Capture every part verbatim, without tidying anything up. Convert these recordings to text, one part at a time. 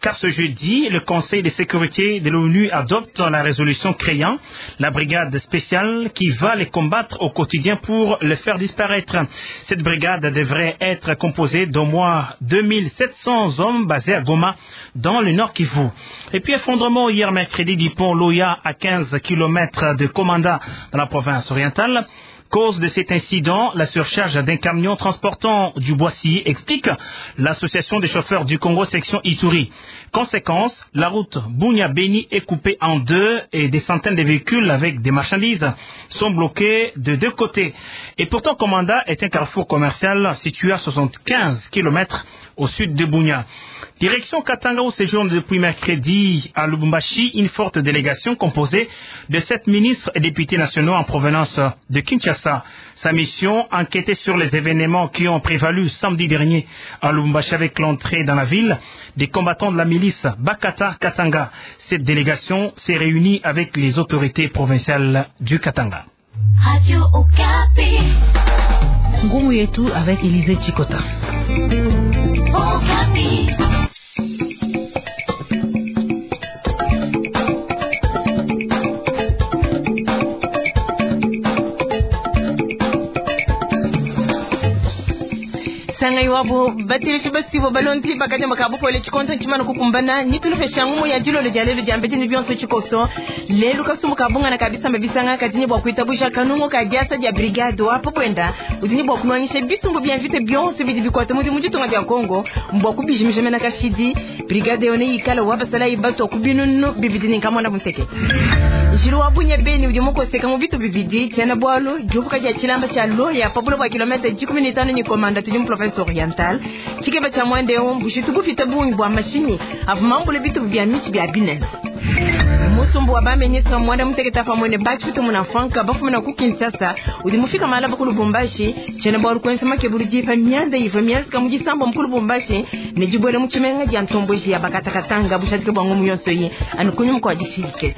Car ce jeudi, le Conseil de sécurité de l'ONU adopte la résolution créant la brigade spéciale qui va les combattre au quotidien pour les faire disparaître. Cette brigade devrait être composée d'au moins deux mille sept cents hommes basés à Goma, dans le Nord Kivu. Et puis effondrement hier mercredi du pont Loya à quinze kilomètres de Komanda dans la province orientale. Cause de cet incident, la surcharge d'un camion transportant du bois scié, explique l'association des chauffeurs du Congo section Ituri. Conséquence, la route Bunia-Beni est coupée en deux et des centaines de véhicules avec des marchandises sont bloqués de deux côtés. Et pourtant, Komanda est un carrefour commercial situé à soixante-quinze kilomètres au sud de Bunia. Direction Katanga où séjourne depuis mercredi à Lubumbashi une forte délégation composée de sept ministres et députés nationaux en provenance de Kinshasa. Sa mission, enquêter sur les événements qui ont prévalu samedi dernier à Lubumbashi avec l'entrée dans la ville des combattants de la milice Bakata Katanga. Cette délégation s'est réunie avec les autorités provinciales du Katanga. Radio Okapi. Ngumu yetu avec Élisée Chikota. Okapi. Sanga iwabo batirishi basibo balonti bakaja makabupole chikonta nchimano kukumbana nitulufesha ngumu ya jilolo lya lelo jambe tini byonso chikoso lelo kasumu kabunga na kabisa mabisanga katini bwa kuitabusha kanungo ka diasa dia brigade wapo bwenda udini bwa kunwanyisha bitumbu bya mvite byonso bidi bikwata mu mujitunga bya Kongo mbwa kubijimisha mena kashidi brigade yone ikala wabasala ibato kubinunu bibidini kamona bunteke Jiru wabunye beni udi mukoseka mu bitu bibidi chena bwalu jubuka dia chilamba cha loya pabulo bwa kilomita ikumi na tano ni komanda tudi mu province orientale chikeba cha mwende ombu shitubufita bungi bwa mashini avumambule bitu bya michi bya binene Musumbu wa bamenyesa mwanda muteketa pamwe ne bachi kutu munafanka bafumina ku Kinshasa udi mufika mala ku Lubumbashi chena bwalu kwensa makebulu jipa myanda ivo myazika mujisambo mukulu Lubumbashi ne jibwele muchimenga dia ntomboji ya bakatakatanga bushadike bwa ngomu yonso yi anukunyu mko adishirike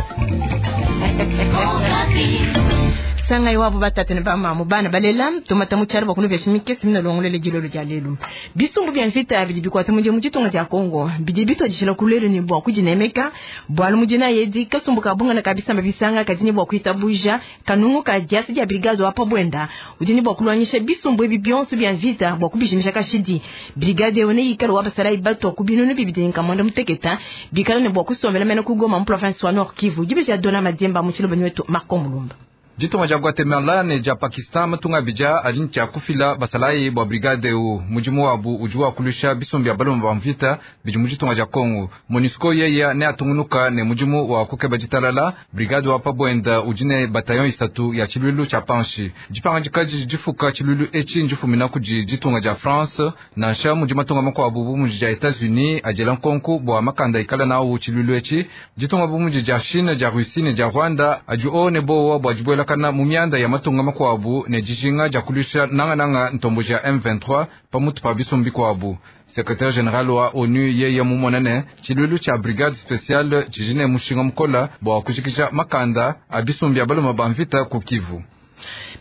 Sanga iwabo batatu ne bamamu bana balela tumata mucyaro bakunu byashimike simina longolele jilolo lya lelu bisumbu bya mvita bidi bikwata muje mujitunga lya Kongo bidi bitojishila kulelo ni bwa kujinemeka bwalu mujina yedi kasumbu kabunga na kabisa mabisanga kadini bwa kuitabuja kanungu ka diasi dia brigade wapo bwenda udini bwa kulwanyisha bisumbu ebi byonso bya mvita bwa kubishimisha kashidi brigade yone ikalo wabasala ibato kubinunu bibidi nkamonda muteketa bikala ne bwa kusomela mena kugoma mu province wa Nord Kivu jibe ya dona mademba mu chilobo nyetu Marco Mulumba Ditunga dia Guatemala ne dia Pakistan matunga bija ali ntshia kufila basalayi bwa brigade eu mudimu wabu udi wakulusha bisumbu bia baloma ba mvita bidi mu ditunga dia Kongo. MONUSCO yeya ne atungunuka ne mudimu wa kukeba ditalala brigade wa pabwenda udi ne bataillon isatu ya tshilulu tshia panshi dipanga dikadi difuka tshilulu etshi ndifumina kudi ditunga dia France nansha mudi matunga makuabu bu mudi dia Etats-Unis adiela nkonku bua makanda ikala nawu tshilulu etshi ditunga bu mudi dia Chine dia Russie ne dia Rwanda adi o ne bowa bua dibuela kana mumianda ya matunga makuabu ne dijinga dia kulusha nangananga ntomboji ya M vingt-trois pamutu pa bisumbi kuabu. Secrétaire général wa ONU yeye mumonene tshilulu tshia brigade spéciale tshijine mushinga mukola bua kujikija makanda a bisumbi ya baloma ba mvita ku Kivu.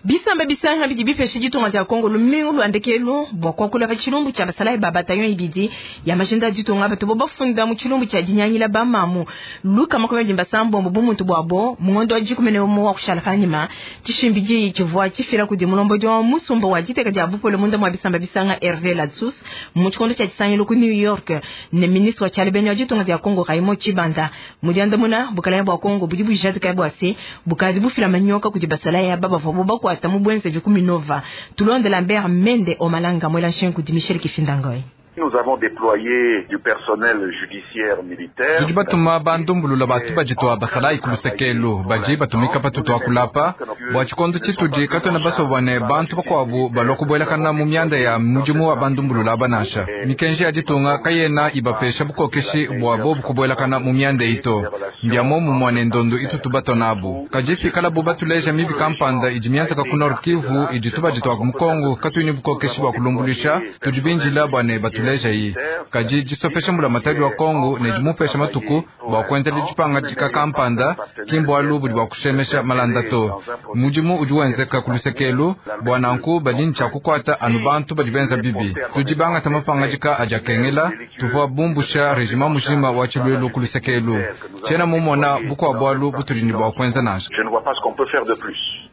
Bisamba bisanga bidi bifeshe ditunga dia Kongo lumingu lwandekelu bwa kwakula pa tshilumbu tshia basalayi ba bataillon ibidi ya majinda ditunga bato bo bafunda mu tshilumbu tshia dinyangila ba mamu luka makumi abidi basambombo bumuntu bwabo mungondo wa dikumi ne umwe wa kushala panyima tshishimbidi tshivua tshifila kudi mulombodi wa musumba wa diteka dia bupole munda mwa bisamba bisanga Hervé Ladsous mu tshikondo tshia tshisangilu ku New York ne ministre wa tshialibeni wa ditunga dia Kongo Raymond Tshibanda mudiandamuna bukalenge bwa Kongo budi bujadika bwa se bukadi bufila manyoka kudi basalayi aba bavua bo bakwata mubwenze jukuminova tulonde Lambert Mende Omalanga mwela nshenku di Michel Kifindangoy. Nous avons déployé du personnel judiciaire militaire. Tudi batuma bandumbulula batu bajitwa basalayi kulusekelu baji batumika patutu kulapa bua tshikondo tshitudi katwena basobwane bantu bakuabu balua kubuelakana mu mianda ya mudimu wa bandumbulula banasha mikenji ya ditunga kayena ibapesha bukokeshi bua bobu kubuelakana mu mianda ito mbia momu muane ndondo itutu batonabu kajifikala bu batuleja mibi kampanda idi mianzaka ku Nord Kivu idi tubajitwa mu Kongo katwini bukokeshi bua kulumbulisha tudi binjila bwane batu tulejayi. Kadi disopesha mbulamatadi wa Kongo ne dimupesha matuku bua kuenzela dipangadika kampanda ki mbualu budi bua kushemesha malanda to. Mudimu udi wenzeka ku lusekelu bua nanku badi ne tshia kukuata anu bantu badi benza bibi. Tudi bangata mapangadika adi akengela, tuvua bumbusha rejima mujima wa tshiluilu ku lusekelu. Tshiena mumona bukua bualu butudi ne bua kuenza nansha.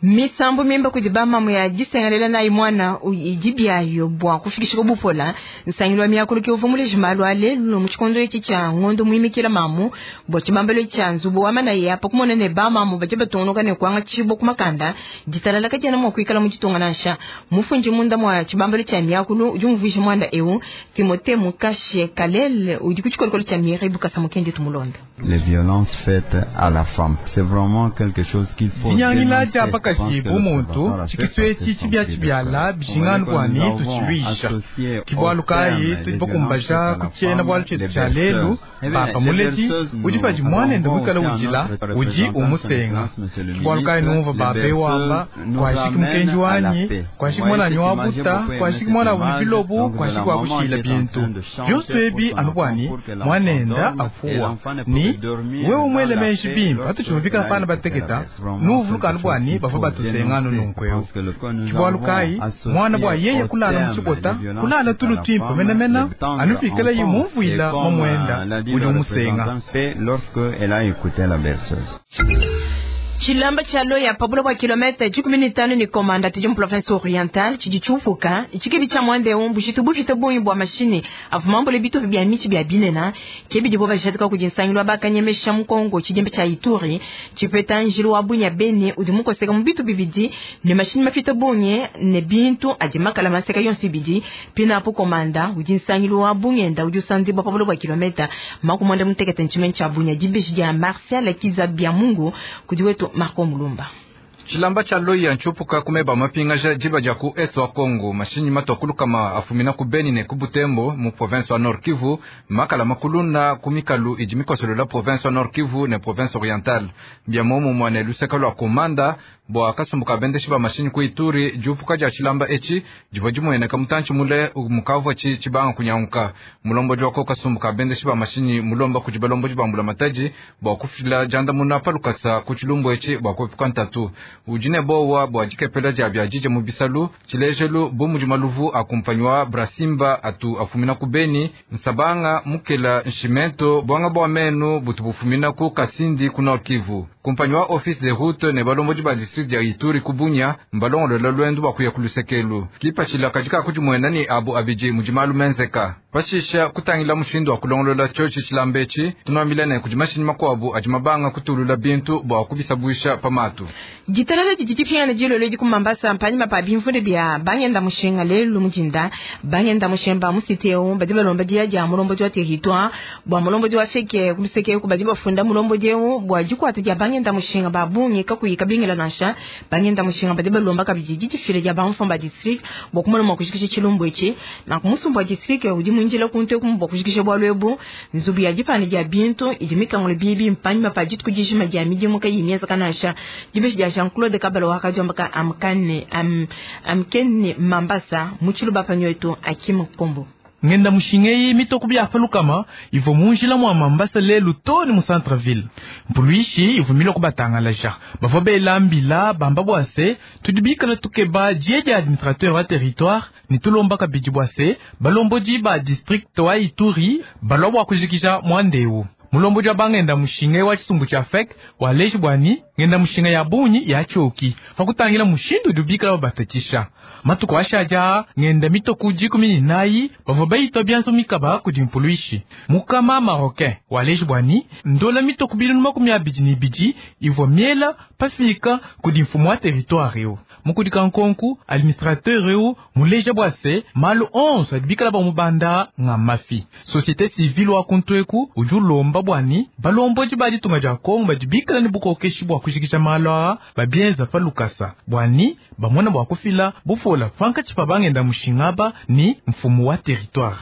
Misambu mimba kudi bamamu ya disengelela nayi mwana idi byayo bua kufikisha bupola nsangilu wa miakulu ke uvua muleje malu a lelu mu tshikondo etshi tshia ngondo muimikila mamu bua tshibambalo tshia nzubu wa mana ya pa kumona ne bamamu badi batungunuka ne kuangatshibua ku makanda ditalala kadiena mua kuikala mu ditunga nansha. Mufundi munda mua tshibambalo tshia miakulu udi umvuija muanda eu Timothée Mukashe Kalele udi ku tshikolokolo tshia Mireille Bukasa Mukendi tumulonda. Les violences faites à la femme, c'est vraiment quelque chose qu'il faut dinyangila dia bakaji bu muntu tshikiswe tshibia tshibiala bijinganu bwani tutshiluisha kibwalu kayi tudi bakumbaja kutshiena bwalu tshietu tshia lelu papa muledi udi padi mwanende muikala udila udi umusenga kibwalu kayi numva babe wamba kwashiki mukenji wanyi kwashiki mwananyi wa buta kwashiki mwana wa bilobu kwashiki wa kushila bintu byonso ebi anu bwani mwanenda afuwa ni wewe mwele menshi bimpa atuchumubika pana bateketa nuvuluka anu bwani bava batusengano nunkweo kibwalu kayi mwana bwa yeye kulala muchibota kulala tulu twimpa menamena anupikala yimumvuila mamwenda udi umusenga. Tshilamba tshia loya pabula bua kilomita dikumi ne tanu ne komanda tudi mu province orientale tshidi tshiupuka tshikebi tshia mwanda eu mbujitu bupite bungi bua mashini avua mambule bitupa bia mitshi bia binena ke bidibo bajadika kudi nsangilu wa bakanyemesha mu Kongo tshidimba tshia Ituri tshipeta njilu wa bunya bene udi mukoseka mu bitu bibidi ne mashini mafite bungi ne bintu adi makala maseka yonso ibidi pina apo komanda udi nsangilu wa bungenda udi usandibwa pabula bua kilomita makumwanda mutekete ntshimene tshia bunya dibeji dia Martial Kiza bia Mungu kudi wetu Marco Mulumba. Tshilamba tshia loya ntshupuka kumeba mapingaja diba dia ku est wa Kongo mashinyi matwa kama afumina ku Beni ne ku Butembo mu province wa Nord Kivu makala makuluna ku mikalu idi mikosolola province wa Nord Kivu ne province orientale bia momo mwane luseka lwa komanda bua kasumbuka bendeshi ba mashinyi ku Ituri diupuka dia tshilamba etshi divua dimueneka mutantshi mule mukavua tshi tshibanga kunyanguka mulombo wa ko kasumbuka bendeshi ba mashinyi mulomba kudi balombo dibambula mataji bua kufila jandamuna palukasa ku tshilumbu etshi bua kuepuka ntatu ujine bowa bua dikepela dia bia dije mu bisalu tshilejelu bu mudi maluvu akumpanywa Brasimba atu afumina ku Beni nsabanga mukela nshimento bwanga bwa menu butu bufumina ku Kasindi ku Nord Kivu kumpanywa office de route ne balombo ba district ya Ituri kubunya mbalongolola lwendu bakuya kulusekelu kipachila katika kujimwena ni abu abiji mujimalu menzeka pashisha kutangila mushindu wa kulongolola chochi chilambechi tunwambila ne kujimashini makwabu ajimabanga kutulula bintu bwa kubisabwisha pamatu ditalala didi dilolo di ku Mambasa mpanyima pa bimvunde bia bangenda mushinga lelu mujinda bangenda mushemba musiteo badi balomba dia dia mulombo wa territoire bwa mulombo wa feke kuluseke ku badi bafunda mulombo deu bwa dikwata dia bangenda mushinga babungi kakuyika bingela nansha bangenda mushinga badi balomba kabidi didifile dia bamfamba district bwa kumona mwa kushikisha tshilumbu etshi na kumusumba district udi mwinjila kunte kumbo kushikisha bwa lwebu nzubu ya dipane dia bintu idi mikangule bibi mpanyima pa dituku dijima dia midimu kayi mieza kanasha dibeshi dia Jean-Claude Kabalo wakajomba amkane am amkene Mambasa muchilu bapanyoeto Akim Kombo ngenda mushingeyi mitoko bya palukama ivo munjila mwa Mambasa lelu toni mu centre ville mpuluishi ivo miloko batangalaja bavo belambila bamba bwase tudibikala tukeba diedia administrateur wa territoire ni tulomba kabidi bwase balombodi ba district wa Ituri balwa bwa kujikija mwandeu mulombo jwa bangenda mushinge wa chisumbu cha fek wa leshi bwani ngenda mushinga ya bunyi ya choki fakutangila mushindu dubikala babatatisha matuko ashaja ngenda mitoku dikumi ni nayi bavua bayitwa byanso mikaba kudi mpuluishi mukama marocain wa leshi bwani ndola mitoku bilunu makumi abidi ni bidi ivua miela pafika kudi mfumu wa territoire yo mukudika nkonku administrateur eu muleja bwase malu onze adibikala bamubanda nga mafi société civile wa kuntweku udi ulomba bwani balomboji baditunga dia Kongo badibikala ni bukokeshi bwa kujikisha malu aa babienza pa lukasa bwani bamona bwa kufila bufola fanka tshipa bangenda mushingaba ni mfumu wa territoire.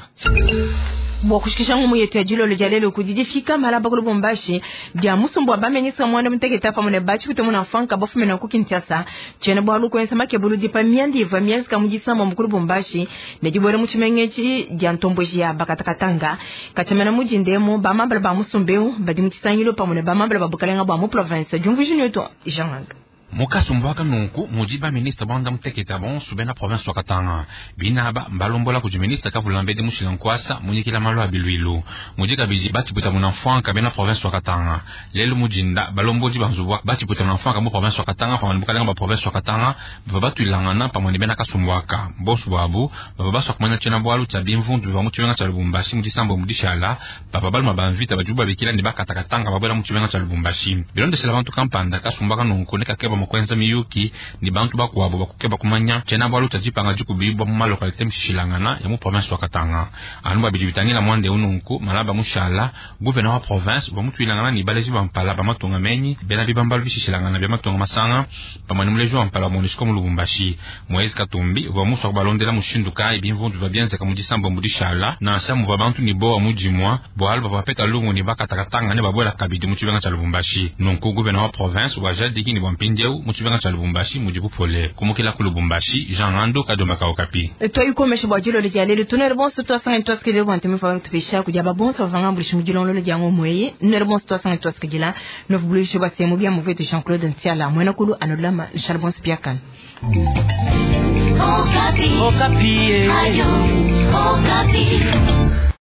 Bua kushikisha ngumu yetu ya dilolo dia lelo kudi difika malaba ku Lubumbashi dia musumbu wa bamenisa mwanda muteketa pamwe ne bachi kutemuna mfanka bafumina ku Kinshasa tshiena bualu kuenza makebulu dipa miandi ivua mienzeka mu disamba mu ku Lubumbashi ne dibuela mu tshimengetshi dia ntomboji ya bakatakatanga katshamena mudindemo bamambala ba musumbeu badi mu tshisangilu pamwe ne bamambala ba bukalenga bua mu province diumvuiji netu Jean Mukasumbu aka nunku mudi ba ministre banda muteketa bonso bena province wa Katanga binaba mbalombola kudi ministre kavulambedi mushila nkwasa munyikila malu a bilwilu mudi kabidi batiputa muna mfwanka bena province wa Katanga lelo mudinda balombodi banzubu batiputa muna mfwanka mu province wa Katanga pamwe ne bukalenga ba province wa Katanga bava batuilangana pamwe ne bena kasumbu aka bonso bwabu bava baswa kumanya tshiena bualu tshia bimvundu biva mu tshimenga tshia Lubumbashi mu disambo mu dishala bava baluma ba mvita badibu babikila ne bakatakatanga babuela mu tshimenga tshia Lubumbashi bilondeshela bantu kampanda kasumbu aka nunku ne kakeba kwenza miyuki ni bantu bakuabo bakukeba kumanya tshiena bualu tshia dipanga dikubibwa mu malokalite mishilangana ya mu province wa Katanga anu babidi bitangila mwande ununku malaba mushala gouverneur wa province bamutuilangana ni baleji bampala bamatunga menyi bena bibambalu bishishilangana bya matunga masanga pamwe ni muleji wa mpala wa MONUSCO mu Lubumbashi Moise Katumbi uva muswa kubalondela mushindu kayi bimvundu bya bienzeka mu disambo mu dishala nansha muva bantu ni bowa mudimwa bualu bavapeta lungu ni bakatakatanga ne babuela kabidi mu tshibenga tshia Lubumbashi nunku gouverneur wa province wajadiki ni bwa mpindieu mu tshibenga tshia Lubumbashi mudi bupole kumukila ku Lubumbashi Jean Ngando Kadomba Kaokapi twayikomesha bua dilolo dia lelo tunere bonso twasanga twasikidila bua ntemi fa tupesha kudia babonso bavanga mbulishi mudilongololo dia ngomweye nere bonso twasanga twasikidila novubulisho bua semu bia muvetu Jean Claude Ntiala mwena kulu anolama Charles Bonso Piakana. Okapi. Okapi. Ayo, Okapi.